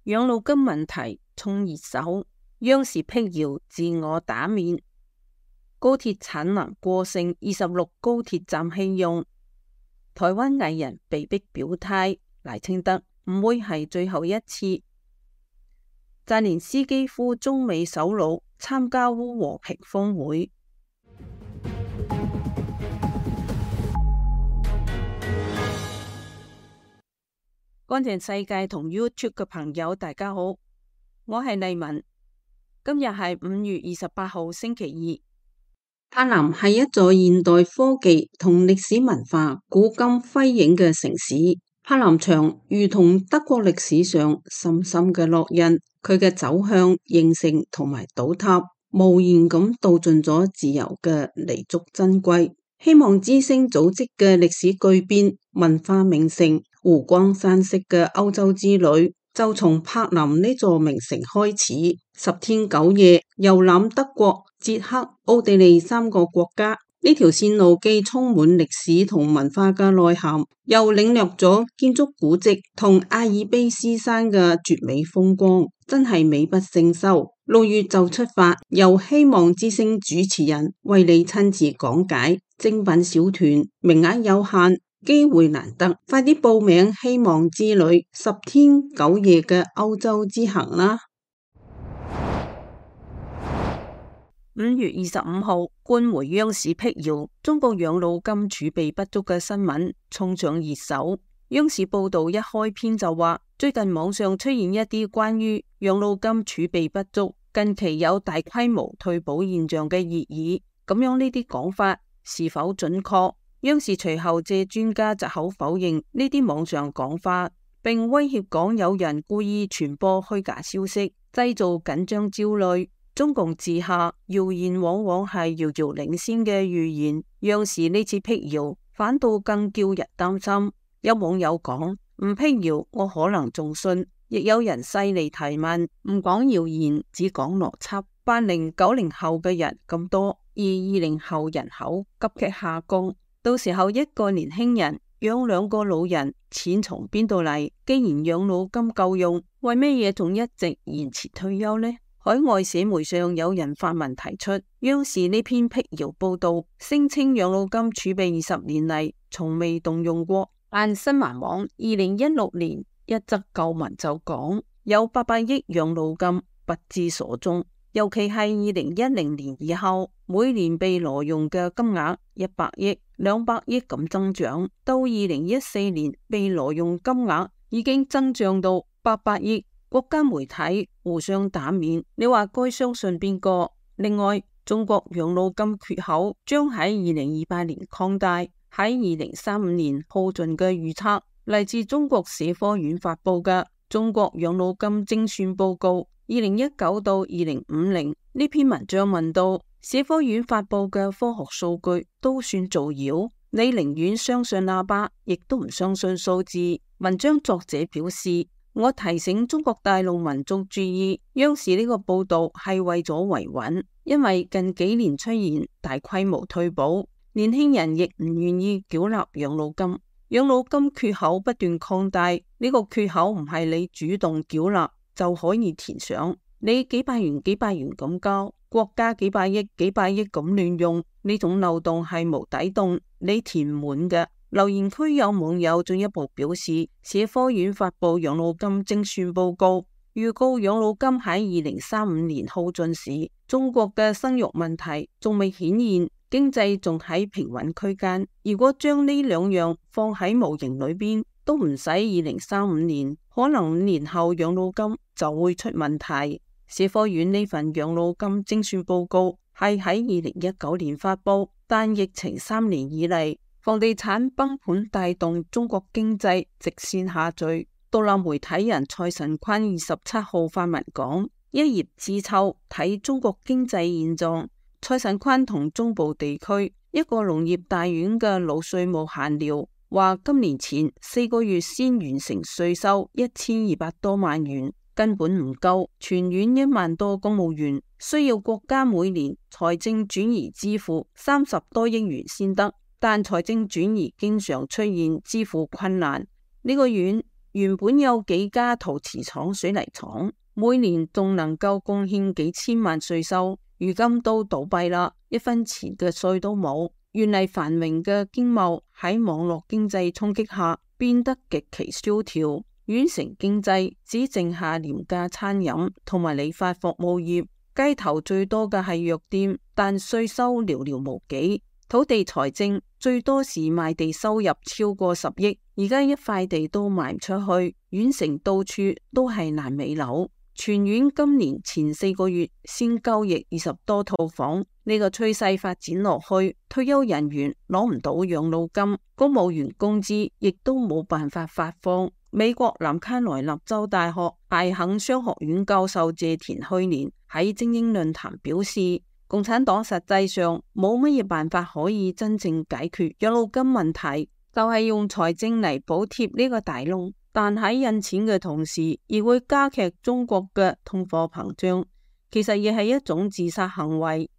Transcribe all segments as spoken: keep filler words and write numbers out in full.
養老金問題衝熱搜，央視闢謠自我打面。高鐵產能過剩，二十六高鐵站棄用。台灣藝人被逼表態，賴清德唔會係最後一次。澤連斯基呼中美首腦參加烏和平峰會。乾淨世界同 YouTube 嘅朋友，大家好，我係麗文。今日係五月二十八號星期二。柏林係一座現代科技同歷史文化古今輝映嘅城市。柏林牆如同德國歷史上深深嘅烙印，佢嘅走向、形成同埋倒塌，無言咁道盡咗自由嘅彌足珍貴。希望之聲組織嘅歷史巨變、文化名城、湖光山色嘅歐洲之旅，就從柏林呢座名城開始。十天九夜遊覽德國、捷克、奧地利三個國家，呢條線路既充滿歷史同文化嘅內涵，又領略咗建築古蹟同阿爾卑斯山嘅絕美風光，真係美不勝收。六月就出發，由希望之聲主持人為你親自講解。精品小團，名額有限，機會難得，快啲報名希望之旅十天九夜嘅歐洲之行啦！五月二十五號，官媒央視闢謠中國養老金儲備不足嘅新聞衝上熱搜。央視報道一開篇就話，最近網上出現一啲關於養老金儲備不足、近期有大規模退保現象嘅熱議，咁樣呢啲講法是否準確？央視隨後借專家藉口否認呢啲網上講法，並威脅講有人故意傳播虛假消息，製造緊張焦慮。中共治下，謠言往往係遙遙領先嘅預言。央視呢次闢謠，反倒更叫人擔心。有網友講，唔闢謠我可能仲信，亦有人犀利提問，唔講謠言，只講邏輯。八零九零後嘅人咁多，而二零後人口急劇下降，到時候一個年輕人養兩個老人，錢從邊度嚟？既然養老金夠用，為咩嘢仲一直延遲退休呢？海外社媒上有人發文提出，央視呢篇闢謠報道，聲稱養老金儲備二十年嚟從未動用過。但新華網二零一六年一則舊文就講，有八百億養老金不知所蹤，尤其係二零一零年以後，每年被挪用嘅金額一百億、兩百億咁增長，到二零一四年被挪用金額已經增長到八百億。國家媒體互相打面，你話該相信邊個？另外，中國養老金缺口將喺二零二八年擴大，喺二零三五年耗盡嘅預測，嚟自中國社科院發佈嘅《中國養老金精算報告》二零一九到二零五零呢篇文章問到，社科院發佈嘅科學數據都算造謠，你寧願相信喇叭，亦都唔相信數字。文章作者表示，我提醒中國大陸民眾注意，央視呢個報道係為咗維穩，因為近幾年出現大規模退保，年輕人亦唔願意繳納養老金，養老金缺口不斷擴大，呢個缺口唔係你主動繳納就可以填上，你幾百元幾百元咁交，國家幾百億幾百億咁亂用，呢種漏洞係無底洞，你填唔滿嘅。留言區有網友進一步表示，社科院發佈養老金精算報告，預告養老金喺二零三五年耗盡時，中國嘅生育問題仲未顯現，經濟仲喺平穩區間。如果將呢兩樣放喺模型裏邊，都唔使二零三五年，可能五年後養老金就會出問題。社科院呢份養老金精算報告係喺二零一九年發佈，但疫情三年以嚟，房地產崩盤帶動中國經濟直線下墜。獨立媒體人蔡辰坤二十七號發文講，一葉知秋睇中國經濟現狀。蔡辰坤同中部地區一個農業大院嘅老稅務閒聊，話今年前四個月先完成稅收一千二百多萬元，根本唔夠。全院一萬多公務員需要國家每年財政轉移支付三十多億元先得。但財政轉移經常出現支付困難，呢個院原本有幾家陶瓷廠、水泥廠，每年仲能夠貢獻幾千萬稅收，如今都倒閉啦，一分錢嘅稅都冇。原嚟繁榮嘅經貿喺網絡經濟衝擊下變得極其蕭條，縣城經濟只剩下廉價餐飲同埋理髮服務業，街頭最多嘅係藥店，但稅收寥寥無幾。土地財政最多時賣地收入超過十億，而家一塊地都賣唔出去，縣城到處都係爛尾樓。全縣今年前四個月先交易二十多套房，呢個趨勢發展落去，退休人員攞唔到養老金，公務員工資亦都冇辦法發放。美國南卡羅來納州大學艾肯商學院教授謝田去年喺精英論壇表示，共產黨實際上冇乜嘢辦法可以真正解決養老金問題，就係用財政嚟補貼呢個大窿，但喺印錢嘅同時，亦會加劇中國嘅通貨膨脹，其實亦係一種自殺行為。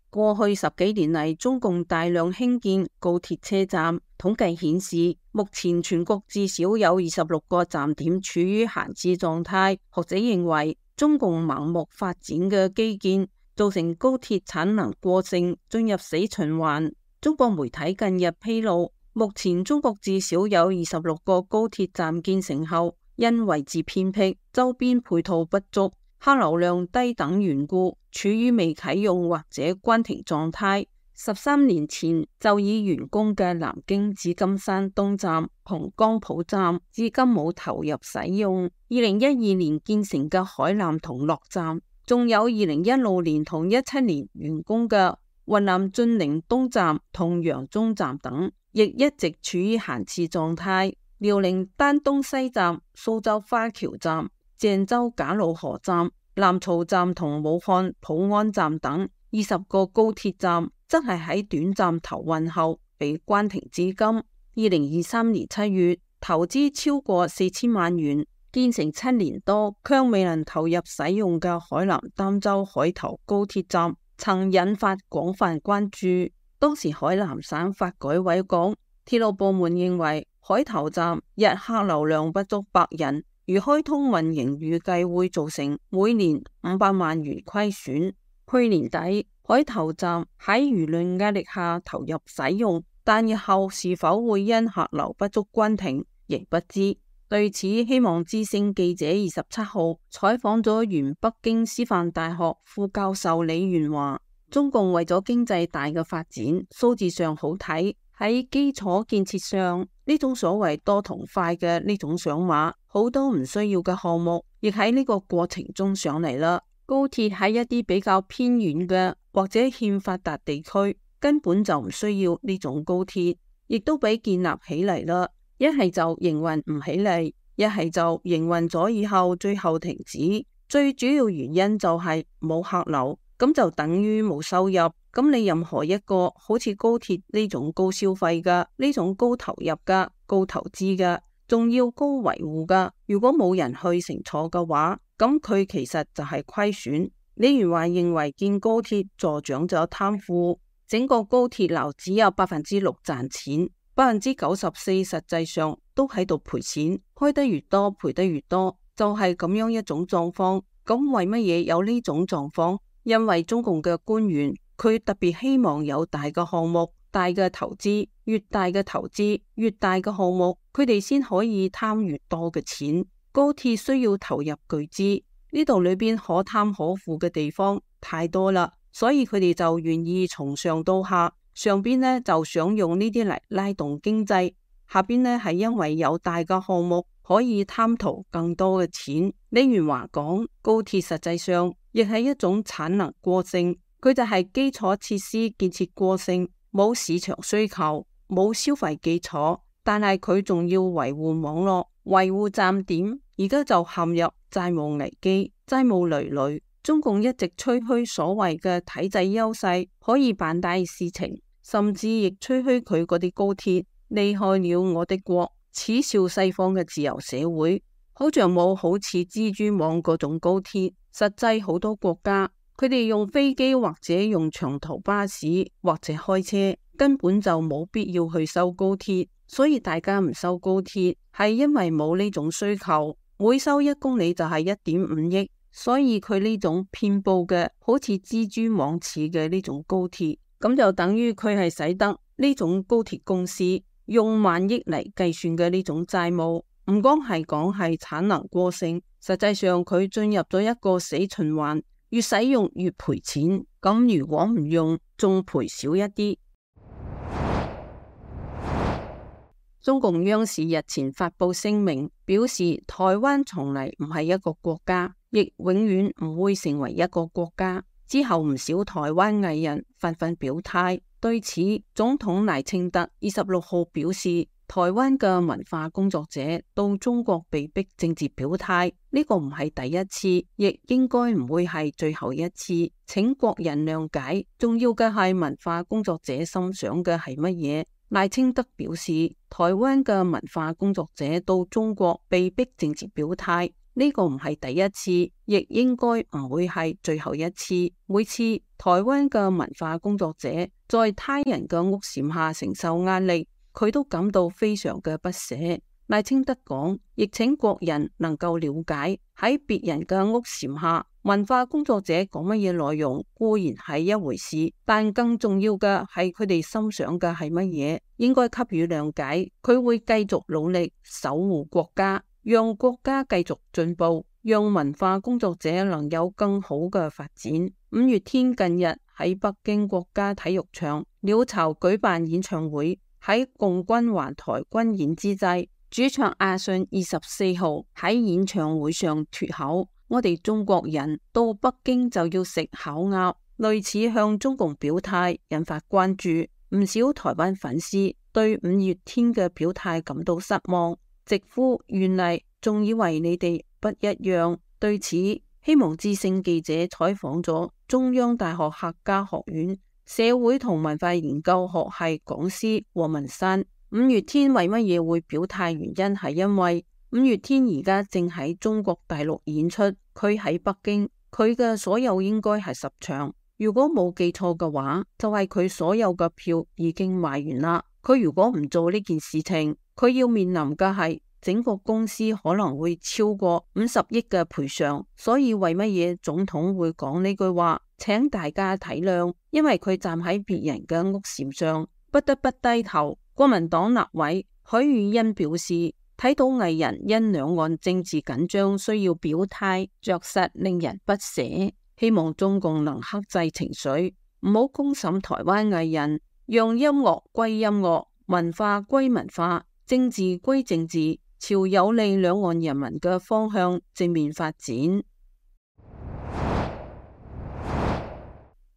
過去十幾年嚟，中共大量興建高鐵車站，統計顯示，目前全國至少有二十六個站點處於閒置狀態。學者認為，中共盲目發展嘅基建造成高鐵產能過剩，進入死循環。中國媒體近日披露，目前中國至少有二十六個高鐵站建成後，因位置偏僻、周邊配套不足、客流量低等緣故，處於未啟用或者關停狀態。十三年前就已完工嘅南京紫金山東站同江浦站，至今冇投入使用。二零一二年建成嘅海南同樂站，仲有二零一六年同一七年完工嘅雲南晉寧東站同揚中站等，亦一直處於閒置狀態。遼寧丹東西站、蘇州花橋站、鄭州賈魯河站、南曹站同武漢普安站等二十個高鐵站，則係喺短暫投運後被關停至今。二零二三年七月，投資超過四千萬元，建成七年多，卻未能投入使用嘅海南儋州海頭高鐵站，曾引發廣泛關注。當時海南省發改委講，鐵路部門認為海頭站日客流量不足百人，如開通運營，預計會造成每年五百萬元虧損。去年底，海頭站喺輿論壓力下投入使用，但日後是否會因客流不足關停，亦不知。對此，希望之聲記者二十七號採訪咗原北京師範大學副教授李元華。中共為咗經濟大嘅發展，數字上好睇，喺基礎建設上，呢種所謂多同快嘅呢種想法，好多唔需要嘅項目，亦喺呢個過程中上嚟啦。高鐵喺一啲比較偏遠嘅或者欠發達地區，根本就唔需要呢種高鐵，亦都俾建立起嚟啦。一係就營運唔起嚟，一係就營運咗以後最後停止。最主要原因就係冇客流，咁就等於冇收入。咁你任何一個好似高鐵呢種高消費嘅、呢種高投入嘅、高投資嘅，仲要高維護嘅，如果冇人去乘坐嘅話，咁佢其實就係虧損。李元華認為建高鐵助長咗貪腐，整個高鐵流只有百分之六賺錢，百分之九十四實際上都喺度賠錢，開得越多賠得越多，就係咁樣一種狀況。咁為乜嘢有呢種狀況？因為中共嘅官員佢特別希望有大嘅項目、大嘅投資，越大嘅投資、越大嘅項目，佢哋先可以貪越多嘅錢。高鐵需要投入巨資，呢度裏邊可貪可腐嘅地方太多啦，所以佢哋就願意從上到下，上邊呢就想用呢啲嚟拉動經濟，下邊呢係因為有大嘅項目可以貪圖更多嘅錢。李元華講，高鐵實際上亦係一種產能過剩，佢就係基礎設施建設過剩，冇市場需求，冇消費基礎，但係佢仲要維護網絡、維護站點，而家就陷入債務危機，債務累累。中共一直吹噓所謂嘅體制優勢，可以辦大事情，甚至亦吹噓佢嗰啲高鐵厲害了我的國，恥笑西方嘅自由社會，好像冇好似蜘蛛網嗰種高鐵。實際好多國家，佢哋用飛機或者用長途巴士或者開車，根本就冇必要去修高鐵。所以大家唔修高鐵係因為冇呢種需求。每修一公里就係一點五億，所以佢呢種遍佈嘅好似蜘蛛網似嘅呢種高鐵，咁就等於佢係使得呢種高鐵公司用萬億嚟計算嘅呢種債務，唔光係講係產能過剩，實際上佢進入咗一個死循環，越使用越賠錢，咁如果唔用仲賠少一啲。中共央視日前發佈聲明，表示台灣從嚟唔係一個國家，亦永遠唔會成為一個國家。之後唔少台灣藝人紛紛表態，對此總統賴清德二十六號表示，台灣嘅文化工作者到中國被逼政治表態，呢個唔係第一次，亦應該唔會係最後一次，請國人諒解。重要嘅係文化工作者心想嘅係乜嘢？賴清德表示，台灣嘅文化工作者到中國被逼政治表態，呢個唔係第一次，亦應該唔會係最後一次。每次台灣嘅文化工作者在他人嘅屋檐下承受壓力，佢都感到非常嘅不捨。賴清德講，亦請國人能夠了解，喺別人嘅屋檐下，文化工作者講乜嘢內容固然係一回事，但更重要嘅係佢哋心想嘅係乜嘢，應該給予諒解。佢會繼續努力守護國家，讓國家繼續進步，讓文化工作者能有更好嘅發展。五月天近日喺北京國家體育場鳥巢舉辦演唱會，喺共軍環台軍演之際，主唱阿信二十四號喺演唱會上脫口，我哋中國人到北京就要食烤鴨，類似向中共表態，引發關注。唔少台灣粉絲對五月天嘅表態感到失望，直呼原嚟仲以為你哋不一樣。對此，希望之聲記者採訪咗中央大學客家學院社會同文化研究學系講師黃文山。五月天為乜嘢會表態？原因係因為五月天而家正喺中國大陸演出，佢喺北京，佢嘅所有應該係十場，如果冇記錯嘅話，就係佢所有嘅票已經賣完啦。佢如果唔做呢件事情，佢要面臨嘅係整個公司可能會超過五十億嘅賠償。所以為乜嘢總統會講呢句話？請大家體諒，因為佢站喺別人嘅屋檐上，不得不低頭。國民黨立委許宇欣表示，睇到藝人因兩岸政治緊張需要表態，着實令人不捨。希望中共能克制情緒，唔好公審台灣藝人，讓音樂歸音樂，文化歸文化，政治歸政治，朝有利兩岸人民嘅方向正面發展。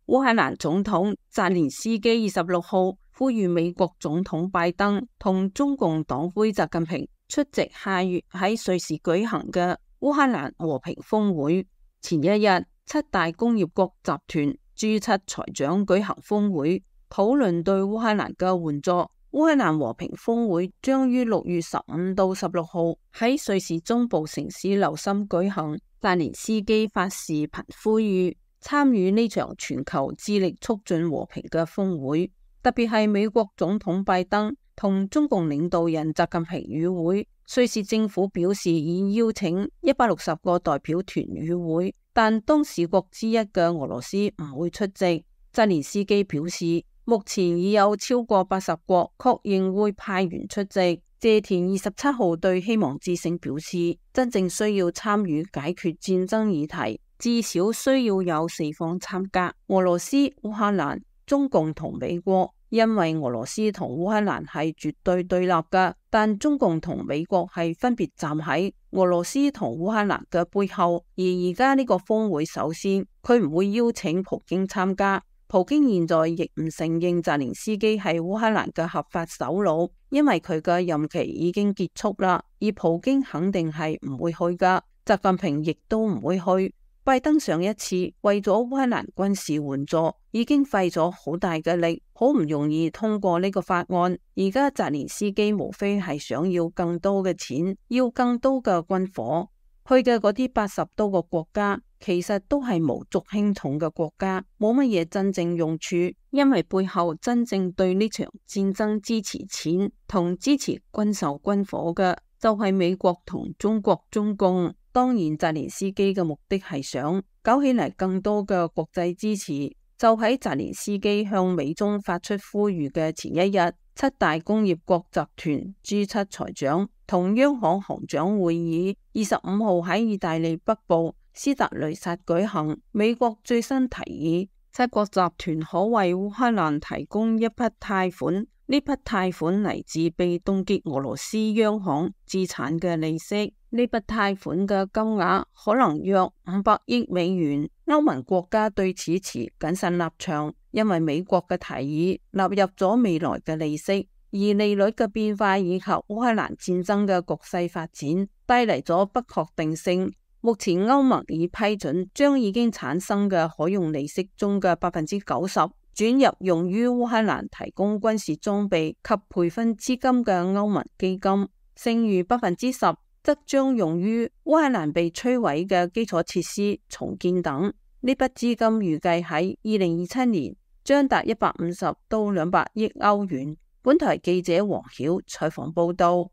烏克蘭總統澤連斯基二十六號呼籲美國總統拜登同中共黨魁習近平出席下月喺瑞士舉行嘅烏克蘭和平峰會。前一日，七大工業國集團 G 七財長舉行峰會，討論對烏克蘭嘅援助。烏克蘭和平峰會將於六月十五到十六號喺瑞士中部城市琉森舉行。澤連斯基發視頻呼籲參與呢場全球致力促進和平嘅峰會，特別係美國總統拜登同中共領導人習近平與會。瑞士政府表示已邀請一百六十個代表團與會，但當事國之一嘅俄羅斯唔會出席。澤連斯基表示，目前已有超過八十國確認會派員出席。謝田二十七號對希望之聲表示，真正需要參與解決戰爭議題，至少需要有四方參加：俄羅斯、烏克蘭、中共同美國。因為俄羅斯同烏克蘭係絕對對立嘅，但中共同美國係分別站喺俄羅斯同烏克蘭嘅背後。而而家呢個峰會，首先佢唔會邀請普京參加。普京現在亦唔承認澤連斯基係烏克蘭嘅合法首腦，因為佢嘅任期已經結束啦。而普京肯定係唔會去噶，習近平亦都唔會去。拜登上一次為咗烏克蘭軍事援助已經費咗好大嘅力，好唔容易通過呢個法案。而家澤連斯基無非係想要更多嘅錢，要更多嘅軍火。去嘅嗰啲八十多個國家，其實都係無足輕重嘅國家，冇乜嘢真正用處，因為背後真正對呢場戰爭支持錢同支持軍售軍火嘅，就係美國同中國中共。當然，澤連斯基嘅目的係想搞起嚟更多嘅國際支持。就喺澤連斯基向美中發出呼籲嘅前一日，七大工業國集團 G 七財長同央行行長會議二十五號喺意大利北部斯特雷薩舉行。美國最新提議，七國集團可為烏克蘭提供一筆貸款，呢筆貸款嚟自被凍結俄羅斯央行資產嘅利息。呢筆貸款嘅金額可能約五百億美元。歐盟國家對此持謹慎立場，因為美國嘅提議納入咗未來嘅利息，而利率嘅變化以及烏克蘭戰爭嘅局勢發展帶嚟咗不確定性。目前歐盟已批准將已經產生嘅可用利息中嘅百分之九十轉入用於烏克蘭提供軍事裝備及培訓資金嘅歐盟基金，剩餘百分之十則將用於烏克蘭被摧毀嘅基礎設施重建等。呢筆資金預計喺二零二七年將達一百五十到兩百億歐元。本台記者黃曉採訪報道。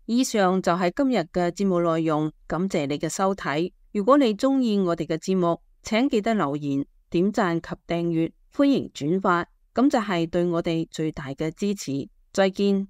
以上就係今日嘅節目內容，感謝你嘅收睇。如果你鍾意我哋嘅節目，請記得留言、點讚及訂閱，歡迎轉發，咁就係對我哋最大嘅支持。再見。